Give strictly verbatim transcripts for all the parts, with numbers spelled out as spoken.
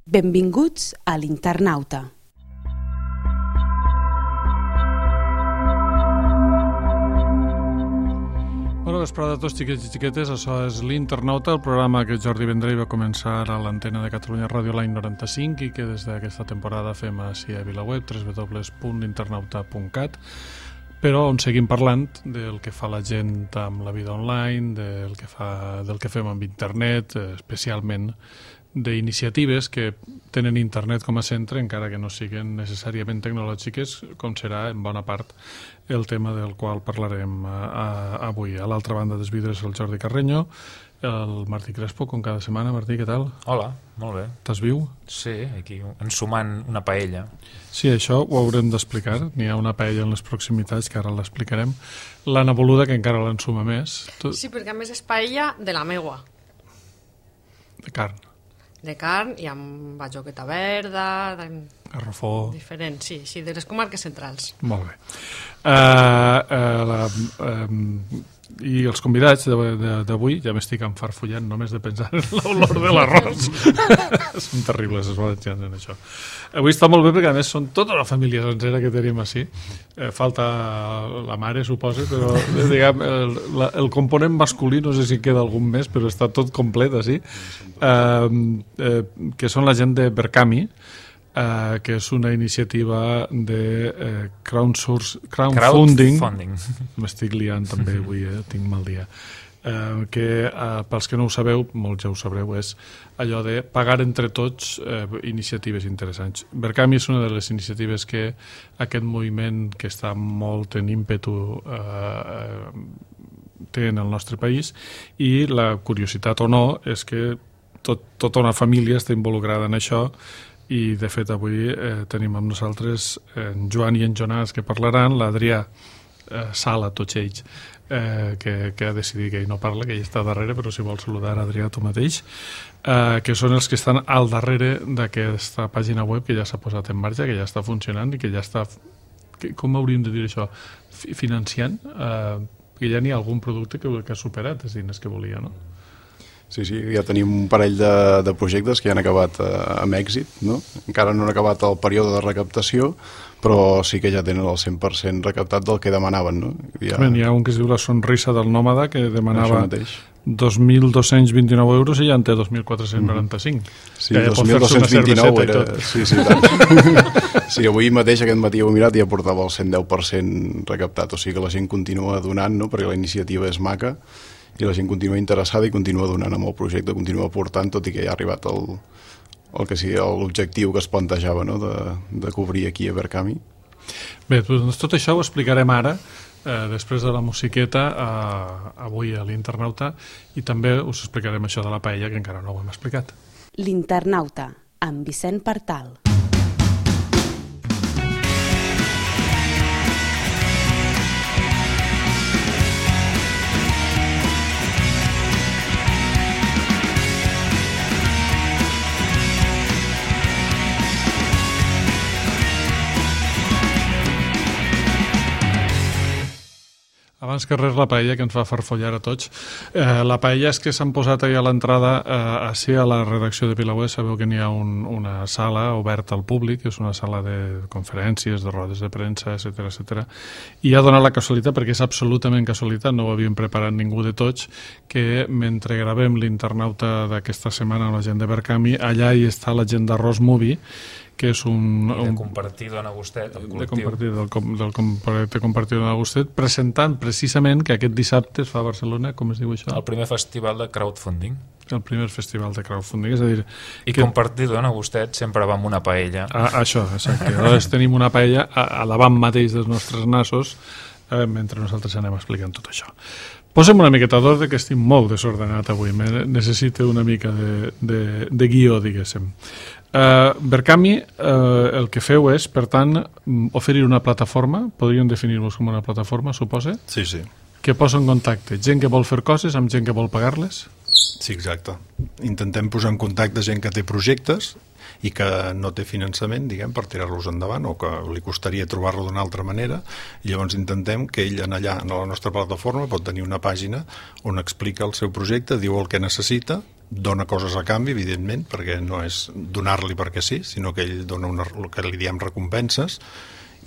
Benvinguts a l'Internauta. Bona vesprada a tots, xiquets i xiquetes. Això és l'Internauta, el programa que Jordi Vendrell va començar a l'antena de Catalunya Ràdio l'any noranta-cinc i que des d'aquesta temporada fem així a VilaWeb, w w w punt internauta punt cat, però on seguim parlant del que fa la gent amb la vida online, del que, fa, del que fem amb internet, especialment d'iniciatives que tenen internet com a centre, encara que no siguin necessàriament tecnològiques, com serà en bona part el tema del qual parlarem a, a, avui. A l'altra banda dels vidres el Jordi Carreño, el Martí Crespo, com cada setmana. Martí, què tal? Hola, molt bé. Estàs viu? Sí, aquí ensumant una paella. Sí, això ho haurem d'explicar. N'hi ha una paella en les proximitats, que ara l'explicarem. L'Anna Boluda, que encara l'ensuma més. Tu... Sí, perquè a més és paella de la meua. De carn. De carn i amb bajoqueta verda, de... garrofó... Diferent, sí, sí, de les comarques centrals. Molt bé. Uh, uh, la, uh, I els convidats d'avui, ja m'estic enfarfullant només de pensar en l'olor de l'arròs. Són terribles els valencians en això. Avui està molt bé perquè a més són tota la família sencera que tenim així. Eh, falta la mare, suposo, però diguem, el, la, el component masculí, no sé si queda algun més, però està tot complet així. Eh, eh, que són la gent de Berkami, Uh, que és una iniciativa de uh, crowdsource, crowdfunding. crowdfunding. M'estic liant també avui, eh? Tinc mal dia. Uh, que, uh, pels que no ho sabeu, molts ja ho sabreu, és allò de pagar entre tots uh, iniciatives interessants. Berkami és una de les iniciatives que aquest moviment que està molt en ímpetu uh, té en el nostre país, i la curiositat o no és que tot, tota una família està involucrada en això. I, de fet, avui eh, tenim amb nosaltres en Joan i en Jonàs, que parlaran, l'Adrià eh, Sala, tots ells, eh, que, que ha decidit que ell no parla, que ell està darrere, però si vols saludar, Adrià, tu mateix, eh, que són els que estan al darrere d'aquesta pàgina web que ja s'ha posat en marxa, que ja està funcionant i que ja està, que, com hauríem de dir això, financiant, eh, que ja n'hi ha algun producte que, que ha superat els diners que volia, no? Sí, sí, ja tenim un parell de, de projectes que ja han acabat eh, amb èxit, no? Encara no han acabat el període de recaptació, però sí que ja tenen el cent per cent recaptat del que demanaven, no? Ja... Hi ha un que es diu La Sonrisa del Nòmada, que demanava dos mil dos-cents vint-i-nou euros i ja en té dos mil quatre-cents noranta-cinc. Mm-hmm. Sí, dos mil dos-cents vint-i-nou era... Sí, sí, tant. Sí, avui mateix, aquest matí ho he mirat i ja portava el cent deu per cent recaptat, o sigui que la gent continua donant, no? Perquè la iniciativa és maca, i la gent continua interessada i continua donant amb el projecte, continua aportant, tot i que ja ha arribat el, el que sigui l'objectiu que es plantejava, no? de, de cobrir aquí a Berkami. Bé, doncs tot això ho explicarem ara, eh, després de la musiqueta, eh, avui a l'Internauta, i també us explicarem això de la paella, que encara no ho hem explicat. L'Internauta, amb Vicent Partal. Abans que res, la paella, que ens fa farfollar a tots. Eh, la paella és que s'han posat ahir a l'entrada, eh, així a la redacció de VilaWeb, sabeu que n'hi ha un, una sala oberta al públic, és una sala de conferències, de rodes de premsa, etcètera, etcètera. I ha donat la casualitat, perquè és absolutament casualitat, no ho havíem preparat ningú de tots, que mentre gravem l'Internauta d'aquesta setmana amb la gent de Berkami, allà hi està la gent d'Arròs Movie, que és un... de Compartir Dona Gustet, el col·lectiu. De compartir, del, com, del projecte Compartir Dona Gustet, presentant precisament que aquest dissabte es fa a Barcelona, com es diu això? El primer festival de crowdfunding. El primer festival de crowdfunding, és a dir... I que... Compartir Dona Gustet sempre va amb una paella. Ah, això, exacte. Llavors tenim una paella a, a davant mateix dels nostres nassos, eh, mentre nosaltres anem explicant tot això. Posem una miqueta d'ordre, que estic molt desordenat avui, necessito una mica de, de, de guió, diguéssim. Uh, Berkami, uh, el que feu és, per tant, oferir una plataforma, podríem definir-vos com una plataforma, suposa? Sí, sí. Que posa en contacte gent que vol fer coses amb gent que vol pagar-les? Sí, exacte. Intentem posar en contacte gent que té projectes i que no té finançament, diguem, per tirar-los endavant, o que li costaria trobar-lo d'una altra manera, i llavors intentem que ell en allà, en la nostra plataforma, pot tenir una pàgina on explica el seu projecte, diu el que necessita, dona coses a canvi, evidentment, perquè no és donar-li perquè sí, sinó que ell dona una, el que li diem recompenses,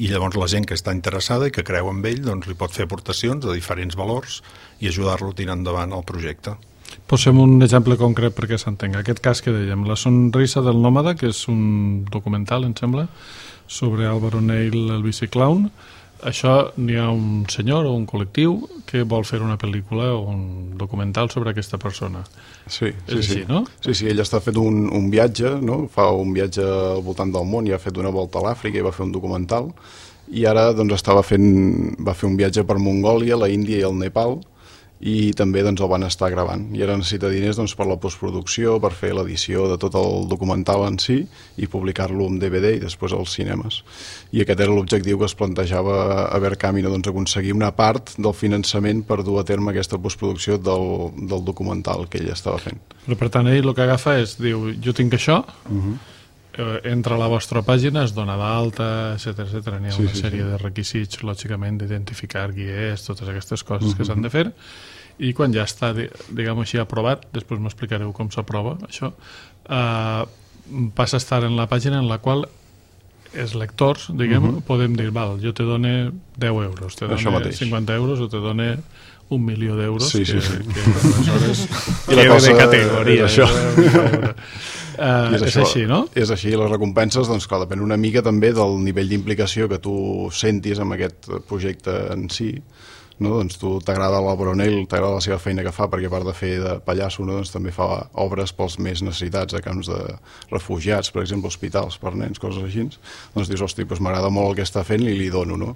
i llavors la gent que està interessada i que creu en ell doncs li pot fer aportacions de diferents valors i ajudar-lo a tirar endavant el projecte. Posem un exemple concret perquè s'entenga. Aquest cas que dèiem, La sonrisa del nòmada, que és un documental, em sembla, sobre Álvaro Neil, el biciclown. Això n'hi ha un senyor o un col·lectiu que vol fer una pel·lícula o un documental sobre aquesta persona. Sí, sí, és així, sí. no? Sí, sí, ell està fent un, un viatge, no? Fa un viatge al voltant del món i ha fet una volta a l'Àfrica i va fer un documental, i ara doncs, estava fent, va fer un viatge per Mongòlia, la Índia i el Nepal, i també doncs, el van estar gravant. I ara necessita diners doncs, per la postproducció, per fer l'edició de tot el documental en si i publicar-lo en D V D i després als cinemes. I aquest era l'objectiu que es plantejava a Verkamino, doncs, aconseguir una part del finançament per dur a terme aquesta postproducció del, del documental que ell estava fent. Però per tant, ell el que agafa és, diu, jo tinc això, Uh-huh. eh, entra a la vostra pàgina, es dona d'alta, etcètera, etcètera. N'hi ha Sí, una sí, sèrie sí. de requisits, lògicament, d'identificar guiers, totes aquestes coses Uh-huh. que s'han de fer, i quan ja està, diguem així, aprovat, després m'explicareu com s'aprova això, eh, passa a estar en la pàgina en la qual els lectors, diguem, Uh-huh. podem dir, val, jo te done deu euros, te Això done mateix. cinquanta euros o te done un milió d'euros, Sí, que, sí, sí. que aleshores I la que cosa de categoria. és això. Uh, I és, és això, així, no? És així, les recompenses, doncs clar, depèn una mica també del nivell d'implicació que tu sentis amb aquest projecte en si, no? Doncs tu t'agrada l'Álvaro Neil, t'agrada la seva feina que fa, perquè a part de fer de pallasso, no? Doncs també fa obres pels més necessitats, a camps de refugiats, per exemple, hospitals per nens, coses així. Doncs dius, hosti, doncs m'agrada molt el que està fent i li dono, no?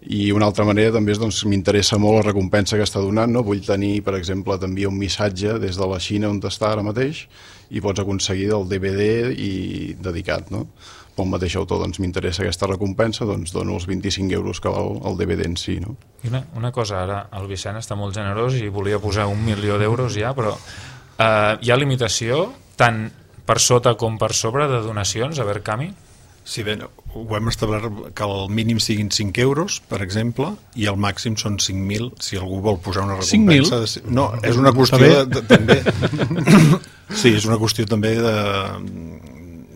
I una altra manera també és, doncs, m'interessa molt la recompensa que està donant, no? Vull tenir, per exemple, t'envia un missatge des de la Xina on està ara mateix i pots aconseguir el D V D i dedicat, no? Pel mateix autor, doncs m'interessa aquesta recompensa, doncs dono els vint-i-cinc euros que val el D V D en si, no? I una, una cosa, ara el Vicent està molt generós i volia posar un milió d'euros ja, però eh, hi ha limitació tant per sota com per sobre de donacions a Verkami? Sí, bé, ho hem establert que el mínim siguin cinc euros, per exemple, i el màxim són cinc mil, si algú vol posar una cinc mil? recompensa. De... No, és una qüestió de, de, també... Sí, és una qüestió també de,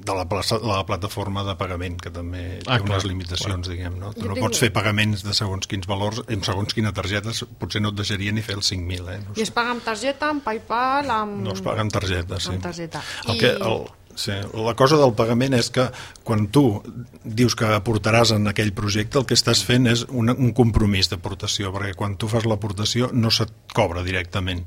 de la, plaça, la plataforma de pagament, que també té Ah, unes clar, limitacions, diguem, no? Tu Jo no tinc- pots fer pagaments de segons quins valors, en segons quina targeta, potser no et deixaria ni fer els cinc mil, eh? No I es paga amb targeta, amb PayPal, amb... No es paga amb targeta, sí. Amb targeta. El I- que, el, sí, la cosa del pagament és que quan tu dius que aportaràs en aquell projecte, el que estàs fent és un, un compromís d'aportació, perquè quan tu fas l'aportació no se't cobra directament.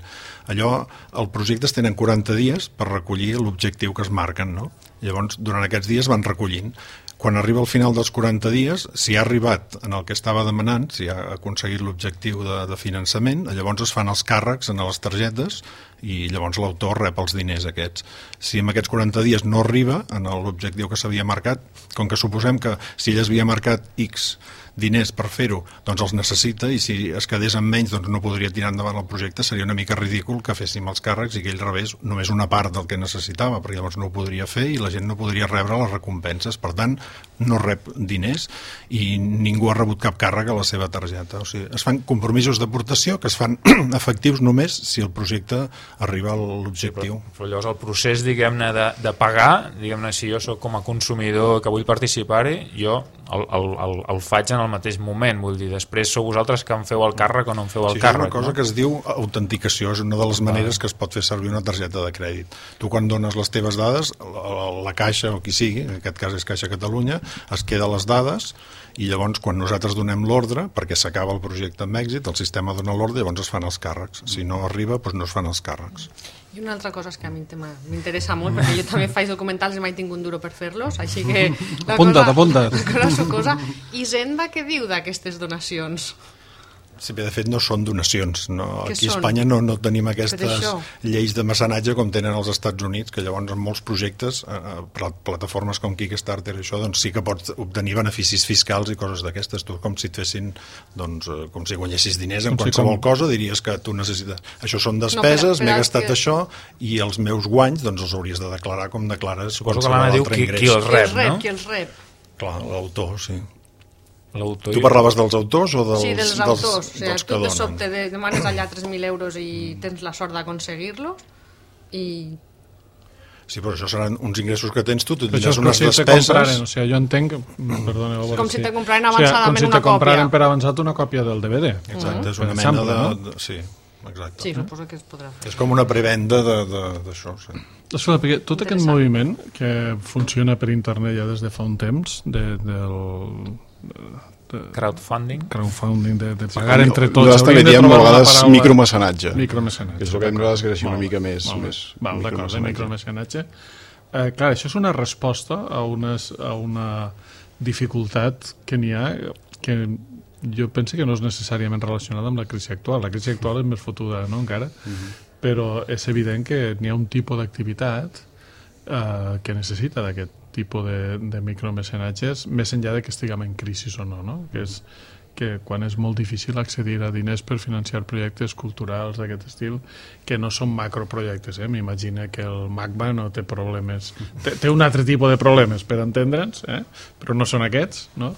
Allò, el projecte es tenen quaranta dies per recollir l'objectiu que es marquen, no? Llavors, durant aquests dies van recollint. Quan arriba al final dels quaranta dies, si ha arribat en el que estava demanant, si ha aconseguit l'objectiu de, de finançament, llavors es fan els càrrecs en les targetes i llavors l'autor rep els diners aquests. Si en aquests quaranta dies no arriba en l'objectiu que s'havia marcat, com que suposem que si ell havia marcat X diners per fer-ho, doncs els necessita, i si es quedés amb menys doncs no podria tirar endavant el projecte, seria una mica ridícul que féssim els càrrecs i que ell rebés només una part del que necessitava, perquè llavors no ho podria fer i la gent no podria rebre les recompenses. Per tant, no rep diners i ningú ha rebut cap càrrec a la seva targeta. O sigui, es fan compromisos d'aportació que es fan efectius només si el projecte arriba a l'objectiu. Però, però llavors el procés, diguem-ne, de, de pagar, diguem-ne, si jo soc com a consumidor que vull participar-hi, jo el, el, el, el faig en el mateix moment, vull dir, després sou vosaltres que em feu el càrrec o no em feu el Sí, càrrec. és una cosa no? que es diu autenticació, és una de les maneres que es pot fer servir una targeta de crèdit. Tu quan dones les teves dades, la, la Caixa o qui sigui, en aquest cas és Caixa Catalunya, es queda les dades i llavors quan nosaltres donem l'ordre, perquè s'acaba el projecte amb èxit, el sistema dona l'ordre i llavors es fan els càrrecs. Si no arriba, doncs no es fan els càrrecs. I una altra cosa és que a mi m'interessa molt, perquè jo també faig documentals i mai tinc un duro per fer-los, així que... la Apunta't, cosa, apunta't. La cosa sucosa. I Zenda què diu d'aquestes donacions? Sí, bé, de fet no són donacions. No, Què aquí a són? Espanya no, no tenim aquestes això. lleis de mecenatge com tenen als Estats Units, que llavors en molts projectes, eh, pla- plataformes com Kickstarter i això, doncs sí que pots obtenir beneficis fiscals i coses d'aquestes. Tu com si et fessin, doncs, eh, com si guanyessis diners en Com si qualsevol com- cosa, diries que tu necessites... Això són No, despeses, però- però m'he els gastat que- això, i els meus guanys doncs els hauries de declarar com declares Suposo que qualsevol l'Anna diu altre qui, ingrés. qui els Qui rep, els rep? no? Qui els rep? Clar, l'autor, sí. L'autor Tu i- parlaves dels autors o dels, Sí, dels autors. O sigui, dels tu que de donen? sobte de- demanes allà tres mil euros i tens la sort d'aconseguir-lo i Sí, però això seran uns ingressos que tens tu, tu tindràs unes si despeses... Compraren, o sigui, jo entenc... Perdona, és com si sí. te compraren avançadament o sigui, una còpia. Com si te compraren per avançat una còpia del D V D. Exacte, és una per mena exemple, de... no? de sí, exacte. Sí, suposo que es podrà fer. És com una prevenda d'això, sí. Escolta, perquè tot aquest moviment que funciona per internet ja des de fa un temps, de, del... De, crowdfunding crowdfunding, de, de pagar sí, entre tots. Nosaltres també diem a vegades micromecenatge. Micromecenatge. Que és el que hem d'esgreixir una mica més. més Val, d'acord, de micromecenatge. Eh, clar, això és una resposta a, unes, a una dificultat que n'hi ha que jo penso que no és necessàriament relacionada amb la crisi actual. La crisi actual és més fotuda, no?, encara, uh -huh. però és evident que n'hi ha un tipus d'activitat eh, que necessita d'aquest tipus de, de micromecenatges, més enllà de que estiguem en crisi o no, no? Que és que quan és molt difícil accedir a diners per financiar projectes culturals d'aquest estil, que no són macroprojectes, eh? M'imagina que el MACBA no té problemes, té, té un altre tipus de problemes, per entendre'ns, eh? Però no són aquests, no?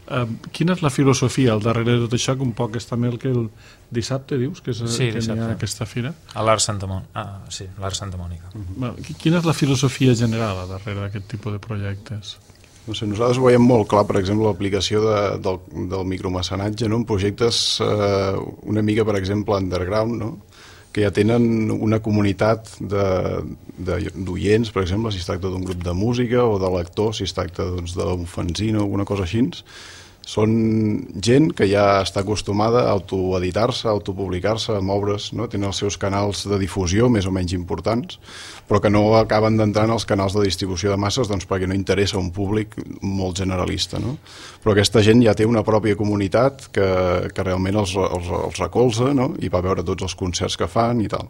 Uh, quina és la filosofia al darrere de tot això, que un poc és també el que el dissabte dius, que, és, sí, que n'hi ha aquesta fira? A l'Art Santa Mònica. Ah, sí, l'Art Santa Mònica. Uh-huh. Bueno, quina és la filosofia general a darrere d'aquest tipus de projectes? No sé, nosaltres ho veiem molt clar, per exemple, l'aplicació de, del, del micromecenatge, no?, en projectes eh, una mica, per exemple, underground, no?, que ja tenen una comunitat d'oients, per exemple, si es tracta d'un grup de música o de lectors, si es tracta doncs, d'un fanzine o alguna cosa així. Són gent que ja està acostumada a autoeditar-se, a autopublicar-se, a moure's, no? Tenen els seus canals de difusió més o menys importants, però que no acaben d'entrar en els canals de distribució de masses doncs, perquè no interessa un públic molt generalista, no? Però aquesta gent ja té una pròpia comunitat que, que realment els, els, els recolza, no?, i va veure tots els concerts que fan i tal.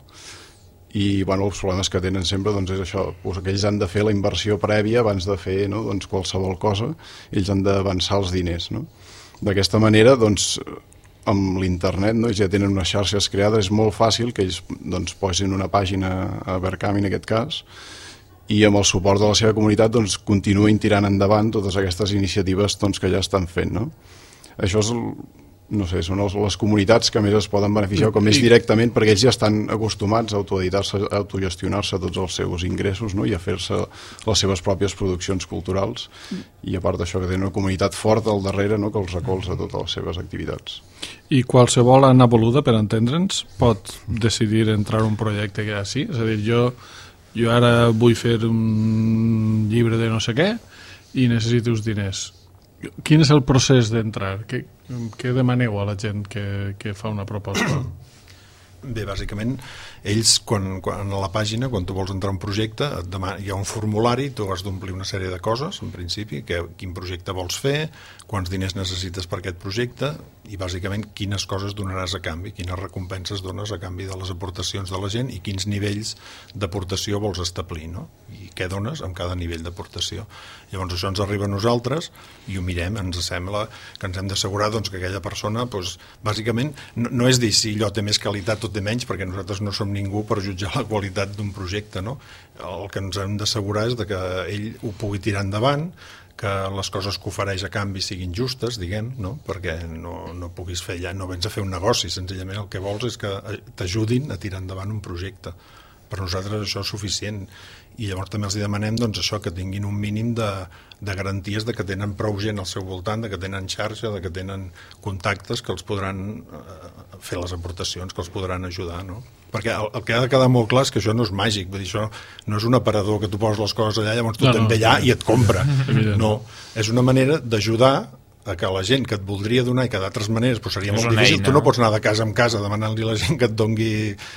I bueno, els problemes que tenen sempre doncs, és això, doncs, que ells han de fer la inversió prèvia abans de fer, no?, doncs, qualsevol cosa, ells han d'avançar els diners, no? D'aquesta manera, doncs, amb l'internet, no?, ells ja tenen unes xarxes creades, és molt fàcil que ells doncs, posin una pàgina a Verkami en aquest cas, i amb el suport de la seva comunitat doncs, continuïn tirant endavant totes aquestes iniciatives doncs, que ja estan fent, no? Això és el, no sé, són les comunitats que més es poden beneficiar com més directament, perquè ells ja estan acostumats a autoeditar-se, a autogestionar-se tots els seus ingressos, no?, i a fer-se les seves pròpies produccions culturals, i a part d'això que tenen una comunitat forta al darrere, no?, que els recolza totes les seves activitats. I qualsevol Anna Boluda, per entendre'ns, pot decidir entrar en un projecte que així? És a dir, jo, jo ara vull fer un llibre de no sé què i necessito uns diners. Quin és el procés d'entrar? Què, què demaneu a la gent que, que fa una proposta? Bé, bàsicament, ells, quan, quan a la pàgina, quan tu vols entrar a un projecte, et demana, hi ha un formulari, tu has d'omplir una sèrie de coses, en principi, que, quin projecte vols fer, quants diners necessites per aquest projecte, i bàsicament quines coses donaràs a canvi, quines recompenses dones a canvi de les aportacions de la gent i quins nivells d'aportació vols establir, no? I què dones amb cada nivell d'aportació. Llavors això ens arriba a nosaltres i ho mirem, ens sembla que ens hem d'assegurar doncs, que aquella persona, doncs, bàsicament, no, no és dir si allò té més qualitat o té menys, perquè nosaltres no som ningú per jutjar la qualitat d'un projecte, no? El que ens hem d'assegurar és de que ell ho pugui tirar endavant, que les coses que ofereix a canvi siguin justes, diguem, no? Perquè no, no puguis fer ja, no vens a fer un negoci, senzillament el que vols és que t'ajudin a tirar endavant un projecte. Per nosaltres això és suficient, i llavors també els demanem doncs, això, que tinguin un mínim de, de garanties de que tenen prou gent al seu voltant, de que tenen xarxa, de que tenen contactes que els podran eh, fer les aportacions, que els podran ajudar, no? Perquè el, el que ha de quedar molt clar és que això no és màgic, vull dir, això no és un aparador que tu poses les coses allà, llavors tu no, te'n ve allà no, i et compra. No, és una manera d'ajudar a que la gent que et voldria donar i que d'altres maneres pues, seria és molt difícil, eina. Tu no pots anar de casa en casa demanant-li a la gent que et dongui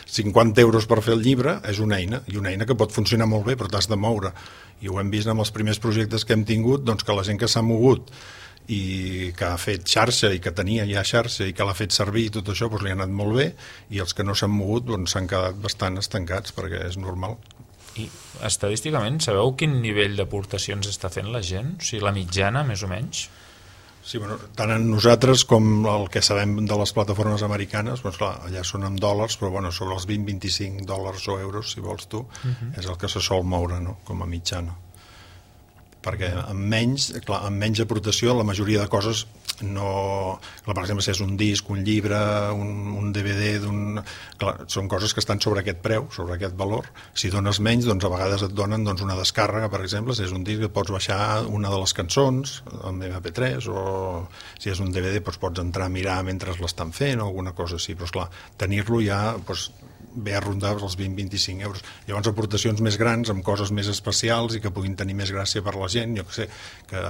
cinquanta euros per fer el llibre, és una eina, i una eina que pot funcionar molt bé, però t'has de moure. I ho hem vist amb els primers projectes que hem tingut, doncs que la gent que s'ha mogut i que ha fet xarxa i que tenia ja xarxa i que l'ha fet servir i tot això doncs li ha anat molt bé, i els que no s'han mogut doncs s'han quedat bastant estancats perquè és normal. I estadísticament sabeu quin nivell d'aportacions està fent la gent? O sigui, la mitjana, més o menys? Sí, bueno, tant en nosaltres com el que sabem de les plataformes americanes, doncs clar, allà són en dòlars, però bueno, sobre els vint a vint-i-cinc dòlars o euros, si vols tu, uh-huh. és el que se sol moure, no?, com a mitjana. Perquè amb menys, clar, amb menys aportació la majoria de coses no... Clar, per exemple, si és un disc, un llibre, un, un D V D, d'un... Clar, són coses que estan sobre aquest preu, sobre aquest valor. Si dones menys, doncs a vegades et donen doncs, una descàrrega, per exemple, si és un disc et pots baixar una de les cançons amb ema pe tres, o si és un D V D doncs, pots entrar a mirar mentre l'estan fent o alguna cosa així, però esclar, tenir-lo ja doncs, ve a rondar els vint a vint-i-cinc euros. Llavors aportacions més grans amb coses més especials i que puguin tenir més gràcia per la gent, jo que sé, que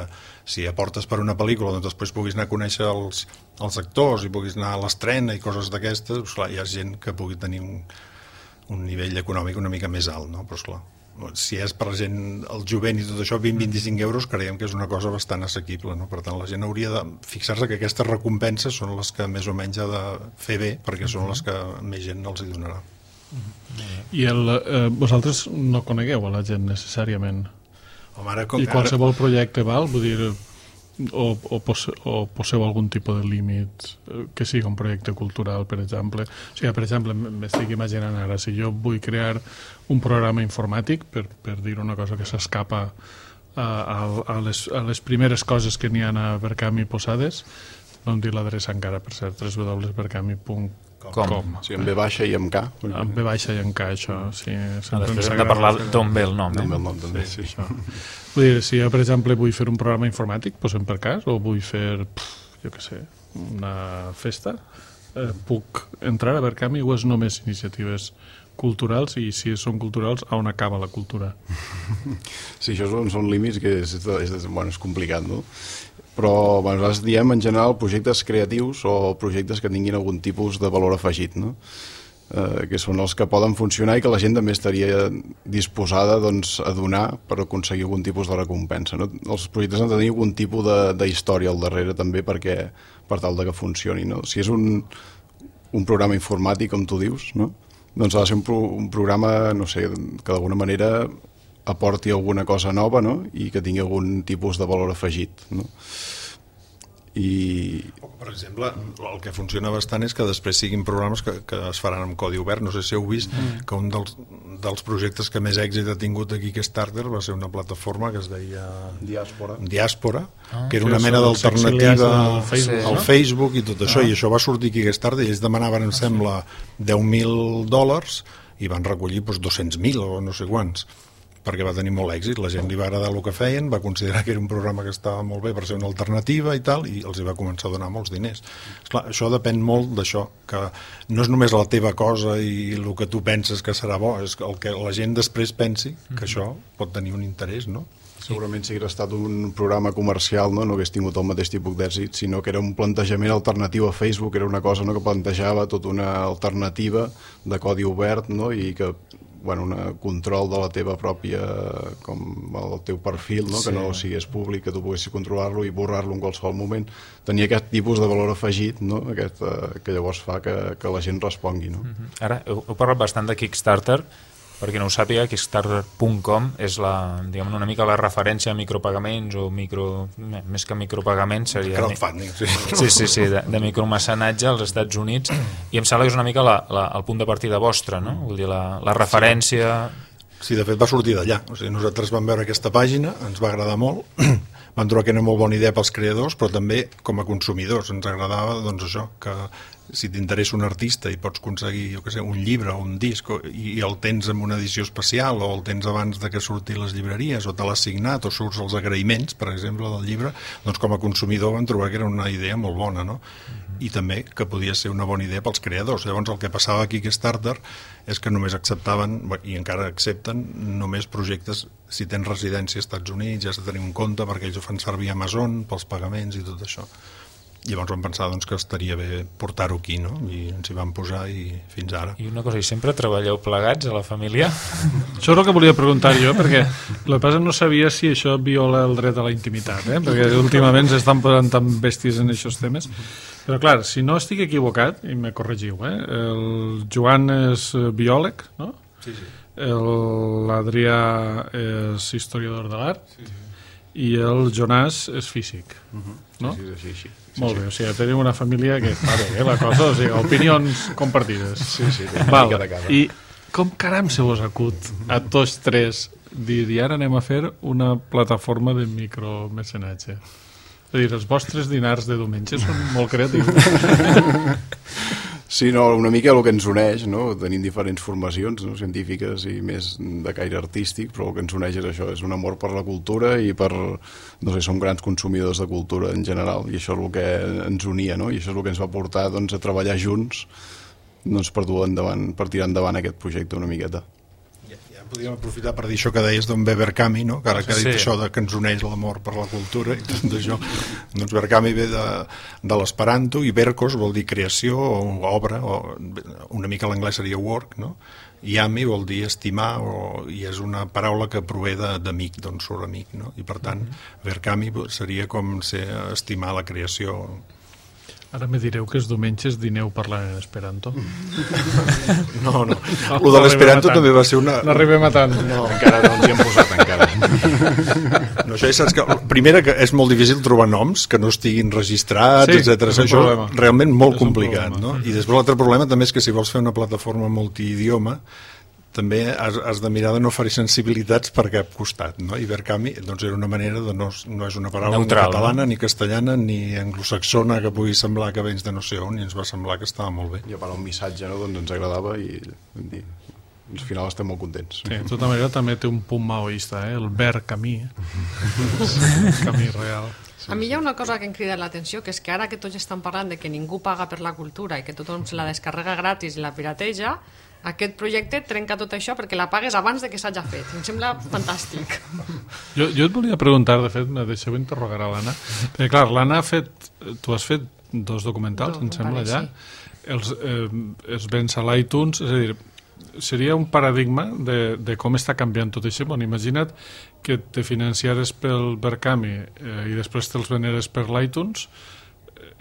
si aportes per una pel·lícula doncs després puguis anar a conèixer els, els actors i puguis anar a l'estrena i coses d'aquestes, doncs clar, hi ha gent que pugui tenir un, un nivell econòmic una mica més alt, no? Però esclar, si és per gent, el jovent i tot això, vint a vint-i-cinc euros creiem que és una cosa bastant assequible, no? Per tant la gent hauria de fixar-se que aquestes recompenses són les que més o menys ha de fer bé, perquè són les que més gent els hi donarà. I el, eh, vosaltres no conegueu a la gent necessàriament? Home, ara, com, I qualsevol projecte val? Vull dir, o, o, pose, o poseu algun tipus de límit que sigui un projecte cultural, per exemple? O sigui, per exemple, m'estic imaginant ara, si jo vull crear un programa informàtic, per, per dir una cosa que s'escapa a, a, a, les, a les primeres coses que n'hi ha a Berkami posades, no em dic l'adreça encara, per cert, w w w punt berkami punt com. Sí, amb B baixa i amb K. Amb B baixa i amb K, això. Sí, després hem de parlar d'on ve el nom. D'on ve el nom, també, sí. Això. Vull dir, si jo, per exemple, vull fer un programa informàtic, posem per cas, o vull fer, pff, jo què sé, una festa, eh, puc entrar a Berkami o és només iniciatives culturals, i si són culturals, on acaba la cultura? Sí, això són, són límits que és, és, bueno, és complicat, no? Però bueno, nosaltres diem en general projectes creatius o projectes que tinguin algun tipus de valor afegit, no? Eh, que són els que poden funcionar i que la gent també estaria disposada doncs, a donar per aconseguir algun tipus de recompensa, no? Els projectes han de tenir algun tipus d'història al darrere també perquè, per tal de que funcioni, no? Si és un, un programa informàtic, com tu dius, no? Doncs ha de ser un, pro, un programa, no sé, que d'alguna manera aporti alguna cosa nova, no? I que tingui algun tipus de valor afegit, no? I... Per exemple, el que funciona bastant és que després siguin programes que, que es faran amb codi obert. No sé si heu vist mm. que un dels, dels projectes que més èxit ha tingut aquí Kickstarter va ser una plataforma que es deia Diàspora, Diàspora ah, que era una mena d'alternativa al Facebook, al no? Facebook i tot això, ah. i això va sortir aquí a Kickstarter i ells demanaven, em sembla, deu mil dòlars i van recollir doncs, dos-cents mil o no sé quants, perquè va tenir molt èxit, la gent li va agradar el que feien, va considerar que era un programa que estava molt bé per ser una alternativa i tal, i els hi va començar a donar molts diners. Esclar, això depèn molt d'això, que no és només la teva cosa i el que tu penses que serà bo, és el que la gent després pensi que això pot tenir un interès, no? Segurament si hagués estat un programa comercial, no, no hagués tingut el mateix tipus d'èxit, sinó que era un plantejament alternatiu a Facebook, era una cosa, no, que plantejava tota una alternativa de codi obert, no, i que bueno, un control de la teva pròpia, com el teu perfil, no? Sí. Que no sigués públic, que tu poguessis controlar-lo i borrar-lo en qualsevol moment. Tenia aquest tipus de valor afegit, no? Aquest, uh, que llavors fa que, que la gent respongui, no? Mm-hmm. Ara, heu, heu parlat bastant de Kickstarter. Perquè no ho sàpiga, Kickstarter punt com és la, diguem, una mica la referència a micropagaments o micro, més que micropagaments seria... Crowdfunding, sí. Sí, sí, sí, de, de micromecenatge als Estats Units, i em sembla que és una mica la, la, el punt de partida vostre, no? Vull dir, la, la referència... Sí, de fet va sortir d'allà. O sigui, nosaltres vam veure aquesta pàgina, ens va agradar molt, vam trobar que era una molt bona idea pels creadors, però també com a consumidors ens agradava doncs, això, que si t'interessa un artista i pots aconseguir, jo què sé, un llibre o un disc i el tens en una edició especial o el tens abans de que surti les llibreries o te l'has signat o surts els agraïments, per exemple, del llibre, doncs com a consumidor vam trobar que era una idea molt bona, no? I també que podia ser una bona idea pels creadors. Llavors el que passava aquí a Kickstarter és que només acceptaven, i encara accepten, només projectes si tens residència als Estats Units, ja has de tenir un compte perquè ells ho fan servir a Amazon pels pagaments i tot això. Llavors vam pensar doncs, que estaria bé portar-ho aquí, no? I ens hi vam posar i fins ara. I una cosa, i sempre treballeu plegats a la família? Això és el que volia preguntar jo, perquè el que passa no sabia si això viola el dret a la intimitat, eh? Perquè últimament s'estan posant tan bèsties en aquests temes. Però clar, si no estic equivocat, i me corregiu, eh? El Joan és biòleg, no? Sí, sí. L'Adrià és historiador de l'art, sí, sí. I el Jonàs és físic, uh-huh. No? Sí, sí, sí, sí. Molt bé, o sigui, tenim una família que està bé, eh, la cosa, o sigui, opinions compartides. Sí, sí, val. I com caram se vos acut a tots tres dir, i ara anem a fer una plataforma de micromecenatge? És a dir, els vostres dinars de diumenge són molt creatius. Sí, no, una mica el que ens uneix, no? Tenim diferents formacions, no? Científiques i més de caire artístic, però el que ens uneix és això, és un amor per la cultura i per, no sé, som grans consumidors de cultura en general, i això és el que ens unia, no? I això és el que ens va portar, doncs, a treballar junts, doncs, per dur endavant, per tirar endavant aquest projecte una miqueta. Podríem aprofitar per dir això que deies d'on ve Berkami, no? Que ara que ha dit Sí. això de que ens uneix l'amor per la cultura i tot això. Doncs Berkami ve de, de l'esperanto i Berkos vol dir creació o obra, o una mica l'anglès seria work, no? I ami vol dir estimar, o, i és una paraula que prové de- d'amic, d'on surt amic, no? I per tant, Berkami seria com ser estimar la creació. Ara me direu que els diumenges dineu parlant en esperanto. No, no. Lo de l'esperanto també va ser una... No arribem a tant. No, encara no ens hi hem posat, encara. No, això ja saps que, primera, que és molt difícil trobar noms que no estiguin registrats, Sí, etcètera. és un Això problema. realment molt És un complicat, problema. no? I després l'altre problema també és que si vols fer una plataforma multidioma també has, has de mirar de no fer sensibilitats per cap costat, no? I Berkami, doncs era una manera de no, no és una paraula Neutral, ni catalana, no? ni castellana, ni anglosaxona que pugui semblar que vens de no sé on, i ens va semblar que estava molt bé. I a part un missatge, no? Doncs ens agradava i vam dir, al final estem molt contents. Sí, de tota manera també té un punt maoista, eh? El ver camí. Eh? El camí real. A mi hi ha una cosa que em crida l'atenció, que és que ara que tots estan parlant de que ningú paga per la cultura i que tothom se la descarrega gratis i la pirateja, aquest projecte trenca tot això perquè la pagues abans de que s'hagi fet. Em sembla fantàstic. Jo, jo et volia preguntar, de fet, me deixeu interrogar a l'Anna, perquè clar, l'Anna ha fet, tu has fet dos documentals, Dos, em sembla, vale, ja, sí. els, eh, els vens a l'iTunes, és a dir, seria un paradigma de, de com està canviant tot això. Bueno, imagina't que te financiares pel Berkami eh, i després te'ls veneres per l'iTunes,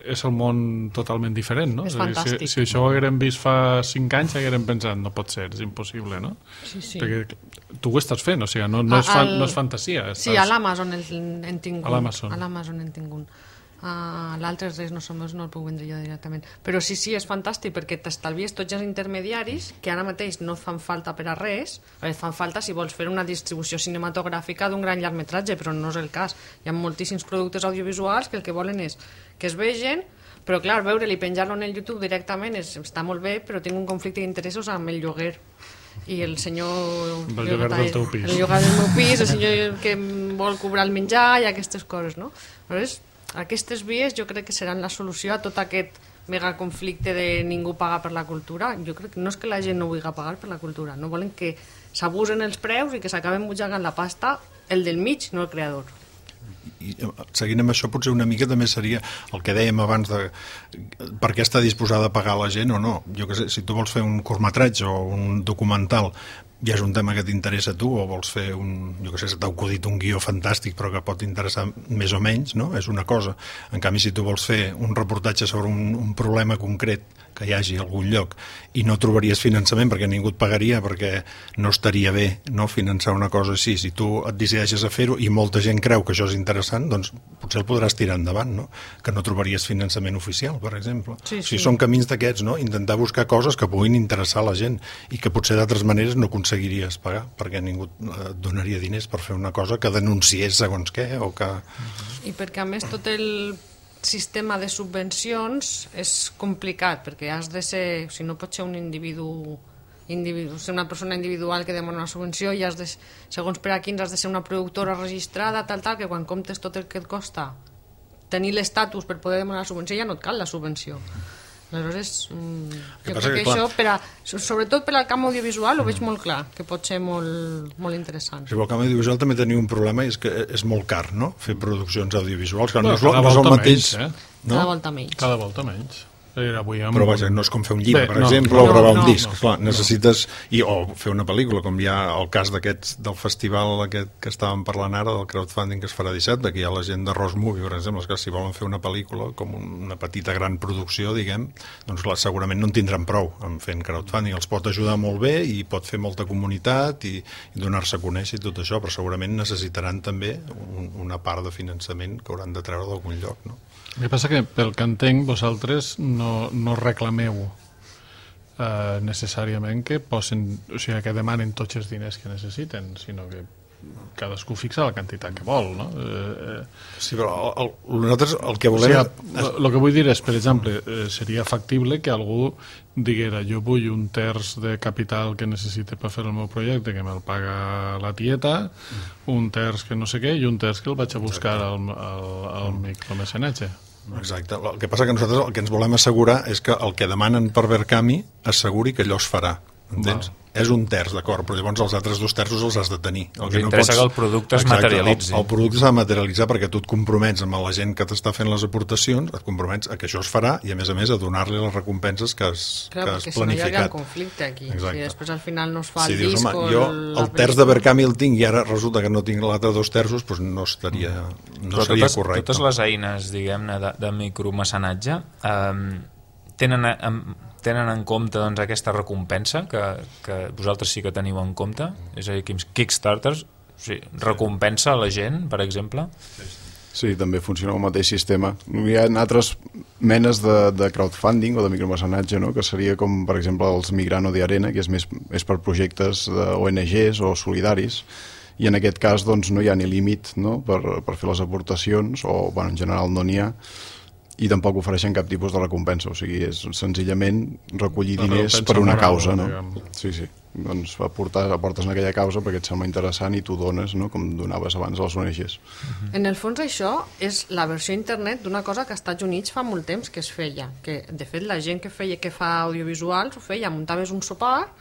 és el món totalment diferent, no? És a dir, fantàstic. si, si això ho haguérem vist fa cinc anys, haguérem pensat, no pot ser, és impossible, no? Sí, sí. Perquè tu ho estàs fent, o sigui, no, no, és, A- fan, al- no és fantasia. Estàs... Sí, a l'Amazon en tingut. A l'Amazon. A l'Amazon en tingut. Uh, L'altre res, no, som, no el puc vendre jo directament. Però sí, sí, és fantàstic perquè t'estalvies tots els intermediaris que ara mateix no et fan falta per a res, et fan falta si vols fer una distribució cinematogràfica d'un gran llargmetratge, però no és el cas. Hi ha moltíssims productes audiovisuals que el que volen és que es vegen, però clar, veure-li, penjar-lo en el YouTube directament és, està molt bé, però tinc un conflicte d'interessos amb el lloguer i el senyor... El lloguer del teu pis. El lloguer del meu pis, el senyor que vol cobrar el menjar i aquestes coses, no? Aleshores, aquestes vies jo crec que seran la solució a tot aquest mega conflicte de ningú paga per la cultura. Jo crec que no és que la gent no vulgui pagar per la cultura, no volen que s'abusen els preus i que s'acaben butxacant la pasta el del mig, no el creador. I seguint amb això potser una mica també seria el que dèiem abans de per què està disposada a pagar la gent o no. Jo que sé, si tu vols fer un curtmetratge o un documental i és un tema que t'interessa a tu o vols fer un, jo que sé, t'ha acudit un guió fantàstic però que pot interessar més o menys, no? És una cosa. En canvi, si tu vols fer un reportatge sobre un, un problema concret que hi hagi a algun lloc i no trobaries finançament perquè ningú et pagaria perquè no estaria bé, no, finançar una cosa així. Si tu et decideixes a fer-ho i molta gent creu que això és interessant, doncs potser el podràs tirar endavant, no? Que no trobaries finançament oficial, per exemple. Sí, O sigui, sí. són camins d'aquests, no? Intentar buscar coses que puguin interessar a la gent i que potser d'altres maneres no aconseguiries pagar perquè ningú et donaria diners per fer una cosa que denunciés segons què o que... I perquè a més tot el sistema de subvencions és complicat, perquè has de ser, o sigui, no pots ser un individu, individu ser una persona individual que demana una subvenció i has de, segons per a quins has de ser una productora registrada, tal, tal, que quan comptes tot el que et costa tenir l'estatus per poder demanar la subvenció ja no et cal la subvenció. Aleshores, mm, jo passa crec que, que, clar, això, per a, sobretot per al camp audiovisual, ho veig molt clar, que pot ser molt, molt interessant. Si vol, el camp audiovisual també tenia un problema i és que és molt car, no?, fer produccions audiovisuals, que no, No, és, lo- cada no és el volta mateix... menys, eh? No? Cada volta menys. Cada volta menys. Era avui amb... Però vaja, no és com fer un llibre, Bé, per no, exemple, no, o gravar no, un disc. no, Clar, no. necessites... I, o fer una pel·lícula, com hi ha el cas d'aquests del festival aquest que estàvem parlant ara, del crowdfunding que es farà dissabte, que hi ha la gent de Rose Movie, per exemple, que si volen fer una pel·lícula com una petita gran producció, diguem, doncs clar, segurament no en tindran prou en fent crowdfunding. Els pot ajudar molt bé i pot fer molta comunitat i, i donar-se a conèixer i tot això, però segurament necessitaran també un, una part de finançament que hauran de treure d'algun lloc, no? El que passa que, pel que entenc, vosaltres no, no reclameu eh, necessàriament que posen, o sigui, que demanen tots els diners que necessiten, sinó que cadascú fixa la quantitat que vol, no? Eh, sí, però el, el, nosaltres el que volem... O sigui, el que vull dir és, per exemple, eh, seria factible que algú diguera jo vull un terç de capital que necessite per fer el meu projecte, que me'l paga la tieta, un terç que no sé què, i un terç que el vaig a buscar al, al, al micromecenatge. Exacte. El que passa que nosaltres el que ens volem assegurar és que el que demanen per Verkami asseguri que allò es farà. Entens? Val. És un terç, d'acord, però llavors els altres dos terços els has de tenir. El que interessa no pots... que el producte es Exacte, materialitzi. El, el producte s'ha de materialitzar perquè tu et compromets amb la gent que t'està fent les aportacions, et compromets a que això es farà i, a més a més, a donar-li les recompenses que has, Clar, que has planificat. Clar, perquè si no hi ha conflicte aquí. Exacte. Si després al final no es fa si el dius, disc home, o jo el... el terç de Verkami el tinc i ara resulta que no tinc l'altre dos terços, doncs no estaria, no però seria totes, correcte. Totes les eines, diguem-ne, de, de micromecenatge eh, tenen... Eh, tenen en compte doncs, aquesta recompensa que, que vosaltres sí que teniu en compte, és a dir, Kickstarters, o sigui, recompensa a la gent, per exemple? Sí, també funciona el mateix sistema. Hi ha altres menes de, de crowdfunding o de micromecenatge, no? Que seria com, per exemple, els Migrano de Arena, que és, més, és per projectes de O N Ges o solidaris, i en aquest cas doncs, no hi ha ni límit, no? per, per fer les aportacions, o bueno, en general no n'hi ha, i tampoc ofereixen cap tipus de recompensa, o sigui, és senzillament recollir diners per una causa, no? Sí, sí, doncs aportar, aportes en aquella causa perquè et sembla interessant i tu dones, no? Com donaves abans a les O N Ges. En el fons això és la versió internet d'una cosa que als Estats Units fa molt temps que es feia, que de fet la gent que feia que fa audiovisuals ho feia, muntaves un sopar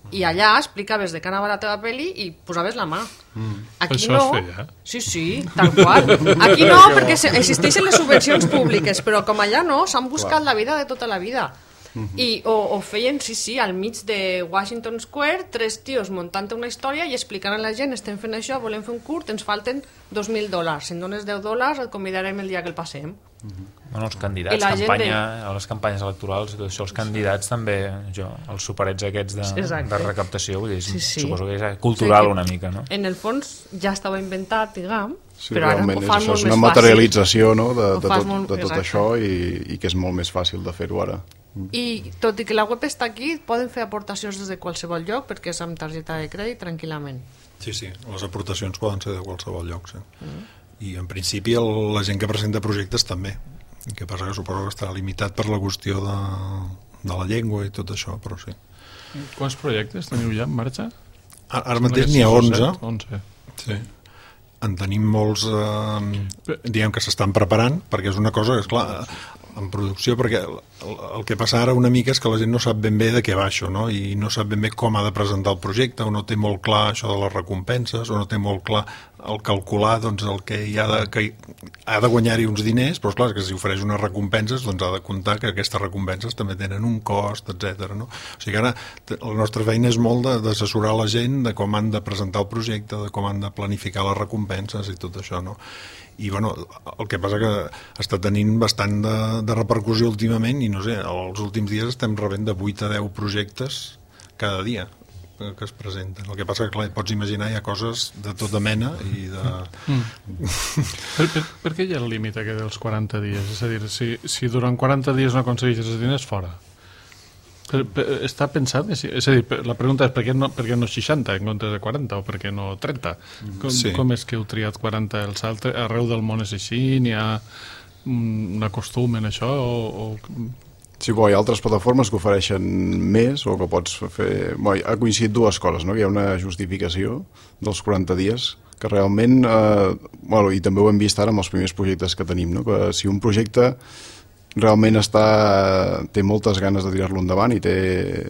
i allà explicaves de què anava la teva pel·li i posaves la mà. Mm. Aquí Això no. es feia? Sí, sí, tal qual. Aquí no, perquè existeixen les subvencions públiques, però com allà no, s'han buscat Clar. la vida de tota la vida. Mm-hmm. I, o, o feien, sí, sí, al mig de Washington Square, tres tios muntant una història i explicant a la gent, estem fent això, volem fer un curt, ens falten dos mil dòlars. Si en dones deu dòlars, et convidarem el dia que el passem. Mm-hmm. Bueno, els candidats, campanya, de... a les campanyes electorals, tot això, els candidats també, jo, els superets aquests de, de recaptació, vull dir, sí, sí. Suposo que és cultural o sigui, una mica, no? En el fons ja estava inventat, diguem, sí, però ara ho fan és, molt és més una materialització, no, de, de, tot, molt, de tot això i, i que és molt més fàcil de fer-ho ara. I tot i que la web està aquí, poden fer aportacions des de qualsevol lloc perquè és amb targeta de crèdit tranquil·lament. Sí, sí, les aportacions poden ser de qualsevol lloc, sí. Mm. I en principi el, la gent que presenta projectes també. El que passa que suposo que estarà limitat per la qüestió de, de la llengua i tot això, però sí. Quants projectes teniu ja en marxa? Ara, ara mateix n'hi ha onze. onze. Sí. En tenim molts, eh, diguem que s'estan preparant, perquè és una cosa que, esclar, en producció, perquè el, el que passa ara una mica és que la gent no sap ben bé de què va això, no? I no sap ben bé com ha de presentar el projecte, o no té molt clar això de les recompenses, o no té molt clar el calcular doncs, el que hi ha de, que ha de guanyar-hi uns diners, però clar, que si ofereix unes recompenses doncs ha de comptar que aquestes recompenses també tenen un cost, etcètera. No? O sigui que ara la nostra feina és molt d'assessorar la gent de com han de presentar el projecte, de com han de planificar les recompenses i tot això, no? I bueno, el que passa que està tenint bastant de, de repercussió últimament i no sé, els últims dies estem rebent de vuit a deu projectes cada dia que es presenten. El que passa que, clar, pots imaginar, hi ha coses de tota mena i de... Mm. per, per, per què hi ha el límit aquest dels quaranta dies? És a dir, si, si durant quaranta dies no aconsegueixes els diners, fora. Per, per, està pensat? És a dir, la pregunta és per què, no, per què no seixanta en comptes de quaranta o per què no trenta? Com, sí. com és que heu triat quaranta els altres? Arreu del món és així? N'hi ha un acostum en això? O, o... Sí, bo, hi ha altres plataformes que ofereixen més o que pots fer... Bo, ha coincidit dues coses, no? Hi ha una justificació dels quaranta dies que realment... Eh, bueno, i també ho hem vist ara amb els primers projectes que tenim, no? Que si un projecte realment està, té moltes ganes de tirar-lo endavant i té,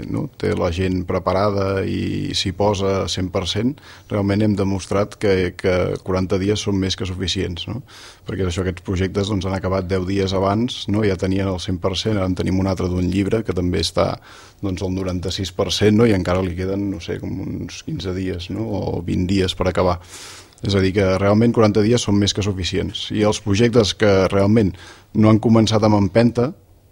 no? té la gent preparada i s'hi posa cent per cent, realment hem demostrat que, que quaranta dies són més que suficients, no? Perquè això, aquests projectes doncs, han acabat deu dies abans, no? Ja tenien el cent per cent, ara en tenim un altre d'un llibre que també està doncs, al noranta-sis per cent, no? I encara li queden, no sé, com uns quinze dies, no? O vint dies per acabar. És a dir, que realment quaranta dies són més que suficients. I els projectes que realment no han començat amb empenta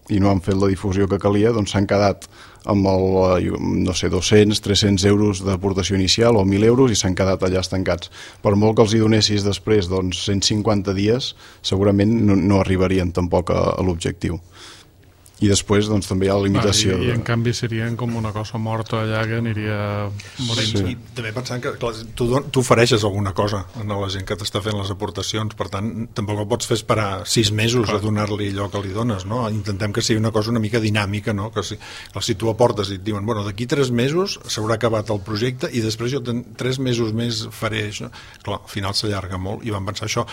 i no han fet la difusió que calia, doncs s'han quedat amb el, no sé, dos-cents, tres-cents euros d'aportació inicial o mil euros i s'han quedat allà estancats. Per molt que els hi donessis després doncs, cent cinquanta dies, segurament no, no arribarien tampoc a, a l'objectiu. I després doncs, també hi ha la limitació. Ah, i, de... I en canvi serien com una cosa morta allà que aniria morint-se. Sí. I també pensant que clar, tu, tu ofereixes alguna cosa a la gent que t'està fent les aportacions, per tant tampoc el pots fer esperar sis mesos clar. A donar-li allò que li dones, no? Intentem que sigui una cosa una mica dinàmica, no? Que si, que si tu aportes i et diuen, bueno, d'aquí tres mesos s'haurà acabat el projecte i després jo ten, tres mesos més faré això, clar, al final s'allarga molt i vam pensar això.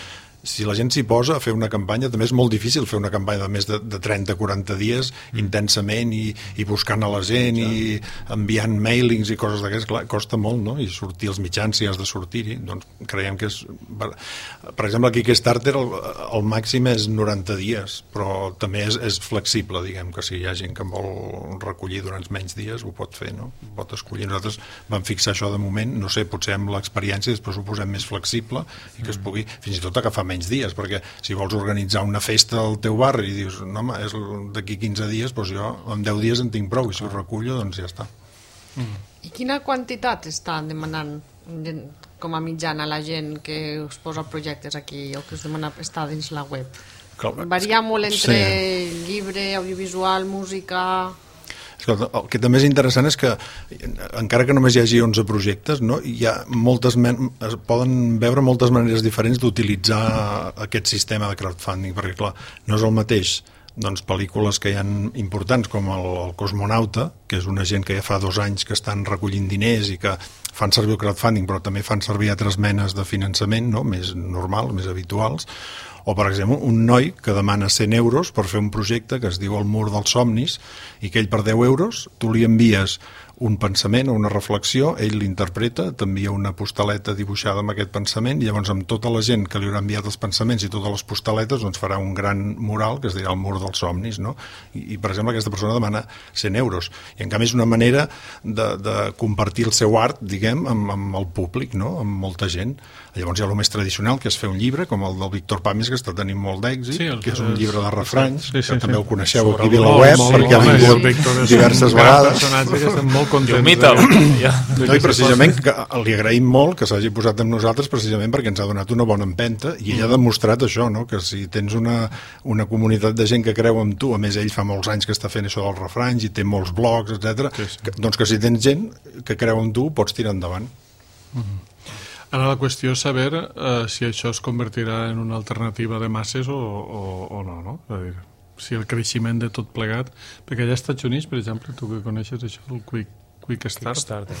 Si la gent s'hi posa a fer una campanya, també és molt difícil fer una campanya de més de, de trenta a quaranta dies mm. intensament i, i buscant a la gent i enviant mailings i coses d'aquestes, clar, costa molt, no? I sortir als mitjans si has de sortir-hi, doncs creiem que és... Per exemple, aquí Kickstarter el, el màxim és noranta dies, però també és, és flexible, diguem, que si hi ha gent que vol recollir durant menys dies ho pot fer, no? Pot escollir. Nosaltres vam fixar això de moment, no sé, potser amb l'experiència després ho posem més flexible i que es pugui fins i tot agafar menys dies, perquè si vols organitzar una festa al teu barri i dius, no home, és d'aquí quinze dies, doncs jo en deu dies en tinc prou i si ho recullo, doncs ja està. Mm. I quina quantitat està demanant com a mitjana la gent que us posa projectes aquí o que us demana estar dins la web? Clar, varia molt entre sí. Llibre, audiovisual, música... Escolta, el que també és interessant és que encara que només hi hagi onze projectes, no, hi ha moltes men- es poden veure moltes maneres diferents d'utilitzar aquest sistema de crowdfunding, perquè clar, no és el mateix doncs, pel·lícules que hi ha importants com el, el Cosmonauta, que és una gent que ja fa dos anys que estan recollint diners i que fan servir el crowdfunding però també fan servir altres menes de finançament, no? Més normals, més habituals, o per exemple un noi que demana cent euros per fer un projecte que es diu El mur dels somnis i que ell per deu euros tu li envies un pensament o una reflexió, ell l'interpreta, t'envia una postaleta dibuixada amb aquest pensament i llavors amb tota la gent que li haurà enviat els pensaments i totes les postaletes doncs farà un gran mural que es dirà El mur dels somnis, no? I, i per exemple aquesta persona demana cent euros i en canvi és una manera de, de compartir el seu art, diguem, amb, amb el públic, no? Amb molta gent. Llavors hi ha el més tradicional, que és fer un llibre, com el del Víctor Pàmies, que està tenint molt d'èxit, sí, que és un llibre de refranys, sí, sí, que sí, també sí. El coneixeu aquí a VilaWeb, perquè ha vingut diverses vegades. Que estem molt contents. De... No, i precisament que li agraïm molt que s'hagi posat amb nosaltres precisament perquè ens ha donat una bona empenta i ell ha demostrat això, no? Que si tens una, una comunitat de gent que creu en tu, a més ell fa molts anys que està fent això dels refranys i té molts blogs, etcètera, sí, sí. Que, doncs que si tens gent que creu en tu pots tirar endavant. Mm-hmm. Ara la qüestió és saber eh, si això es convertirà en una alternativa de masses o, o, o no, no? És a dir, si el creixement de tot plegat... Perquè allà als Estats Units, per exemple, tu que coneixes això, el Quick, Quick Start...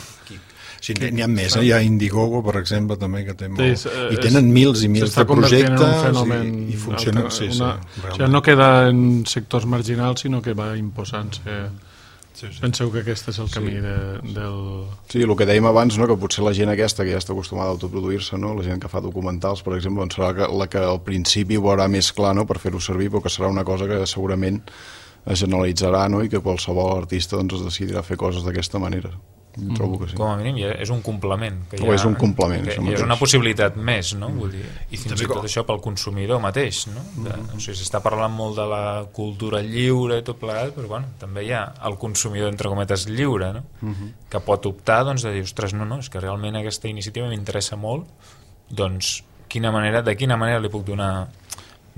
Sí, n'hi ha més, eh? Hi ha Indiegogo, per exemple, també, que té molt... Sí, I tenen mils i mils de projectes i, i funcionen... Alter, sí, una, sí, o sigui, no queda en sectors marginals, sinó que va imposant-se... Sí, sí. Penseu que aquest és el camí sí. de, del... Sí, el que dèiem abans, no? Que potser la gent aquesta que ja està acostumada a autoproduir-se, no? La gent que fa documentals, per exemple, doncs serà la que al principi ho veurà més clar, no? Per fer-ho servir, però que serà una cosa que segurament es generalitzarà, no? I que qualsevol artista doncs, es decidirà fer coses d'aquesta manera. Mm. Trobo que sí. Com a mínim ja és un complement que o ja, és un complement que, és una possibilitat més, no? Vull dir, i fins i tot això pel consumidor mateix, no? De, mm-hmm. O sigui, s'està parlant molt de la cultura lliure i tot plegat, però bueno, també hi ha el consumidor entre cometes lliure, no? Mm-hmm. Que pot optar doncs, de dir, ostres, no, no, és que realment aquesta iniciativa m'interessa molt, doncs quina manera, de quina manera li puc donar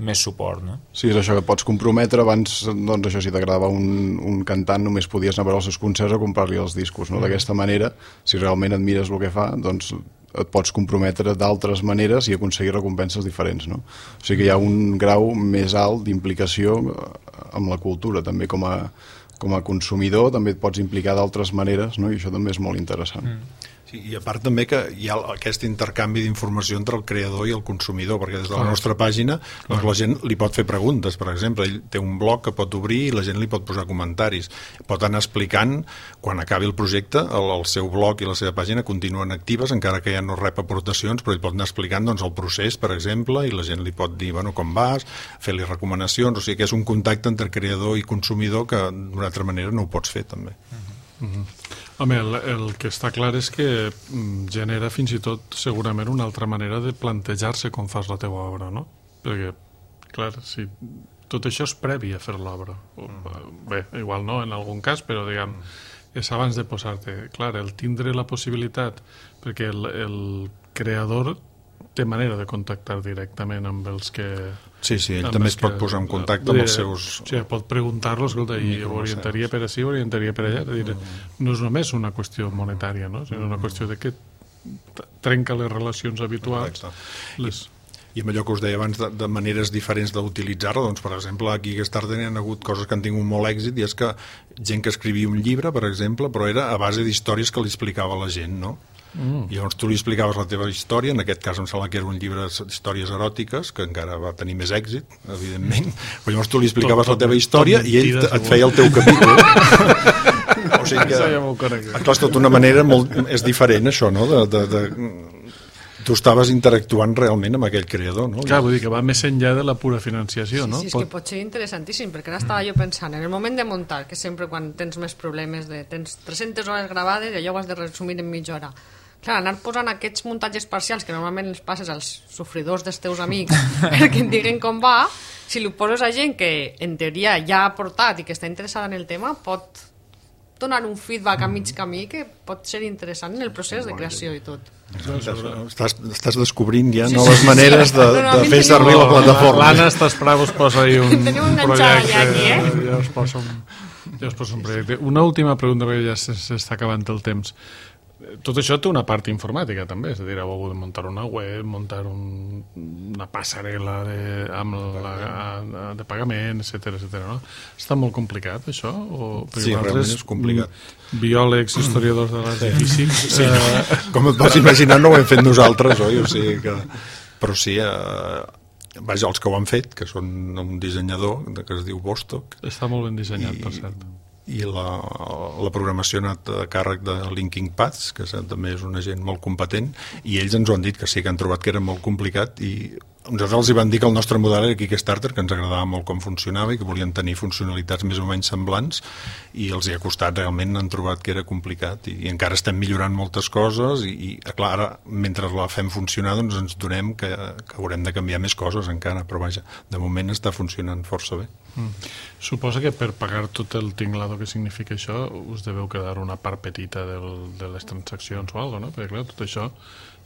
més suport, no? Sí, és això que pots comprometre. Abans, doncs això, si t'agradava un, un cantant només podies anar a veure els seus concerts o comprar-li els discos, no? Mm. D'aquesta manera, si realment admires el que fa, doncs et pots comprometre d'altres maneres i aconseguir recompenses diferents, no? O sigui que hi ha un grau més alt d'implicació amb la cultura, també com a, com a consumidor també et pots implicar d'altres maneres, no? I això també és molt interessant. Mm. Sí, i a part també que hi ha aquest intercanvi d'informació entre el creador i el consumidor, perquè des de la nostra pàgina doncs la gent li pot fer preguntes, per exemple, ell té un blog que pot obrir i la gent li pot posar comentaris, pot anar explicant quan acabi el projecte, el, el seu blog i la seva pàgina continuen actives encara que ja no rep aportacions, però ell pot anar explicant doncs, el procés, per exemple, i la gent li pot dir bueno, com vas, fer-li recomanacions, o sigui que és un contacte entre creador i consumidor que d'una altra manera no ho pots fer també. Uh-huh. Uh-huh. Home, el, el que està clar és que genera fins i tot segurament una altra manera de plantejar-se com fas la teva obra, no? Perquè, clar, si tot això és previ a fer l'obra. Bé, igual no en algun cas, però diguem, és abans de posar-te. Clar, el tindre la possibilitat, perquè el, el creador té manera de contactar directament amb els que... Sí, sí, ell també es pot posar en contacte amb els seus... Sí, pot preguntar-lo, escolta, i orientaria per així, orientaria per allà. Dir, no és només una qüestió monetària, no? Sinó una qüestió de que trenca les relacions habituals. Les... I amb allò que us deia abans de, de maneres diferents d'utilitzar-la, doncs, per exemple, aquí a Kickstarter hi ha hagut coses que han tingut molt èxit, i és que gent que escrivia un llibre, per exemple, però era a base d'històries que li explicava a la gent, no? Mm. I llavors tu li explicaves la teva història, en aquest cas em sembla que era un llibre d'històries eròtiques, que encara va tenir més èxit, evidentment, però llavors tu li explicaves tot, tot, la teva història i ell et feia el teu capítol. O sigui que, clar, és tot una manera molt... És diferent, això, no? De, de, de... Tu estaves interactuant realment amb aquell creador, no? Clar, vull dir que va més enllà de la pura financiació, sí, no? Sí, és pot... que pot ser interessantíssim, perquè ara estava jo pensant, en el moment de muntar, que sempre quan tens més problemes, de tens tres-centes hores gravades i allò ho has de resumir en mitja hora. Clar, anar posant aquests muntatges parcials que normalment els passes als sofridors dels teus amics perquè et diguen com va, si ho poses a gent que en teoria ja ha portat i que està interessada en el tema, pot donar un feedback a mig camí que pot ser interessant en el procés de creació i tot. Estàs, estàs descobrint ja sí, noves sí, maneres de, no, no, de fer servir la plataforma. L'Anna està esperant, us posa ahí un projecte. Ja, aquí, eh? Ja us posa un, ja us posa un projecte. Una última pregunta, perquè ja s'està acabant el temps. Tot això té una part informàtica també, és a dir, heu hagut de muntar una web, muntar un, una passarel·la de, amb la, de pagament, etcètera, etcètera, no? Està molt complicat, això? O, sí, realment és complicat. Biòlegs, historiadors de l'art i físics... Sí, no. Com et vas imaginar, no ho hem fet nosaltres, oi? O sigui que... Però sí, eh, vaja, els que ho han fet, que són un dissenyador que es diu Bostock. Està molt ben dissenyat, i... per cert. i la, la programació ha anat a càrrec de Linking Paths, que també és una gent molt competent, i ells ens ho han dit que sí, que han trobat que era molt complicat, i nosaltres els hi van dir que el nostre model era Kickstarter, que ens agradava molt com funcionava i que volien tenir funcionalitats més o menys semblants, i els hi ha costat, realment han trobat que era complicat, i, i encara estem millorant moltes coses, i, i clar, ara, mentre la fem funcionar, doncs ens donem que, que haurem de canviar més coses encara, però vaja, de moment està funcionant força bé. Mm. Suposa que per pagar tot el tinglado que significa això us deveu quedar una part petita del, de les transaccions o alguna cosa, no? Perquè clar, tot això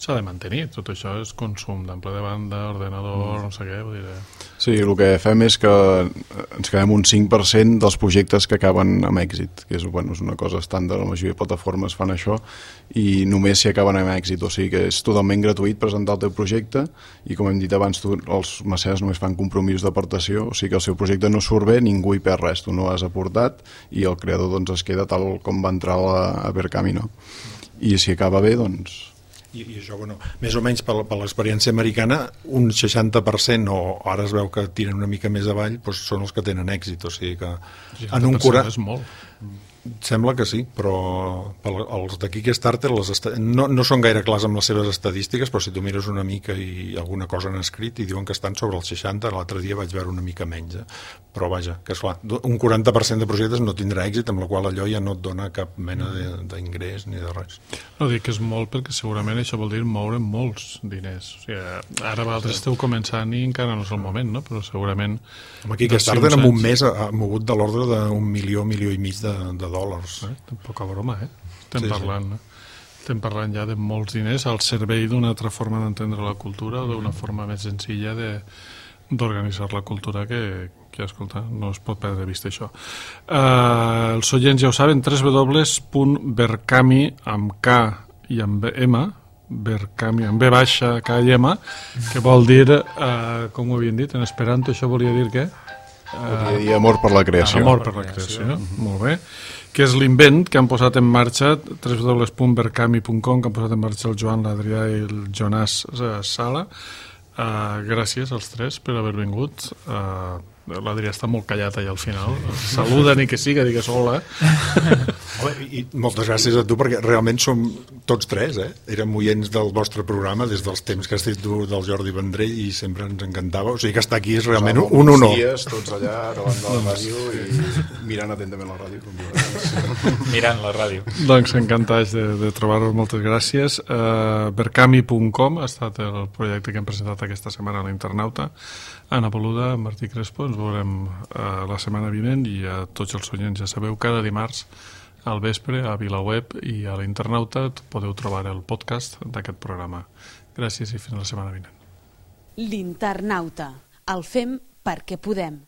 s'ha de mantenir, tot això és consum d'ample de banda, ordenador, mm. no sé què, vull dir... Sí, el que fem és que ens quedem un cinc per cent dels projectes que acaben amb èxit, que és, bueno, és una cosa estàndard, la majoria de plataformes fan això, i només si acaben amb èxit, o sigui que és totalment gratuït presentar el teu projecte, i com hem dit abans, tu, els mecenes només fan compromisos d'aportació, o sigui que el seu projecte no surt bé, ningú hi perd res, tu no has aportat, i el creador doncs, es queda tal com va entrar a, a Berkami, no? I si acaba bé, doncs... I, i això, bueno, més o menys per, per l'experiència americana, un seixanta per cent, o ara es veu que tiren una mica més avall, doncs són els que tenen èxit, o sigui que... En un quaranta... és molt. Sembla que sí, però els de Kickstarter les est... no, no són gaire clars amb les seves estadístiques, però si tu mires una mica i alguna cosa han escrit i diuen que estan sobre el seixanta, l'altre dia vaig veure una mica menys, eh? Però vaja, que esclar, un quaranta per cent de projectes no tindrà èxit, amb la qual allò ja no et dona cap mena d'ingrés ni de res. No dic que és molt perquè segurament això vol dir moure molts diners. O sigui, ara vosaltres esteu començant i encara no és el moment, no? Però segurament... Amb Kickstarter en un mes ha mogut de l'ordre d'un milió, milió i mig de, de dòlars. Eh? Poca broma, eh? Estem sí, parlant, sí. Eh? Estem parlant ja de molts diners al servei d'una altra forma d'entendre la cultura o d'una forma més senzilla de d'organitzar la cultura que, que, escolta, no es pot perdre de vista això. Uh, els oients ja ho saben, w w w punt berkami amb K i amb M, Berkami amb B baixa, K i M, que vol dir, uh, com ho havien dit, en esperanto això volia dir què? Volia dir amor per la creació. Amor per la creació, mm-hmm. Molt bé. Que és l'invent que han posat en marxa w w w punt berkami punt com, que han posat en marxa el Joan, l'Adrià i el Jonàs Sala. Uh, gràcies als tres per haver vingut. Uh, L'Adrià està molt callat allà al final. Saluda ni que siga, digues hola. I moltes gràcies a tu, perquè realment som tots tres, eh? Érem oients del vostre programa des dels temps que has dit tu del Jordi Vendrell i sempre ens encantava. O sigui que estar aquí és realment un, un honor. Dies, tots allà davant de la ràdio i mirant atentament la ràdio. Mirant la ràdio. Doncs encantats de, de trobar-vos, moltes gràcies. Uh, berkami punt com ha estat el projecte que hem presentat aquesta setmana a l'Internauta. Anna Boluda, Martí Crespo, ens veurem uh, la setmana vinent, i a tots els oients ja sabeu, cada dimarts al vespre a VilaWeb i a l'Internauta podeu trobar el podcast d'aquest programa. Gràcies i fins la setmana vinent. L'Internauta. El fem perquè podem.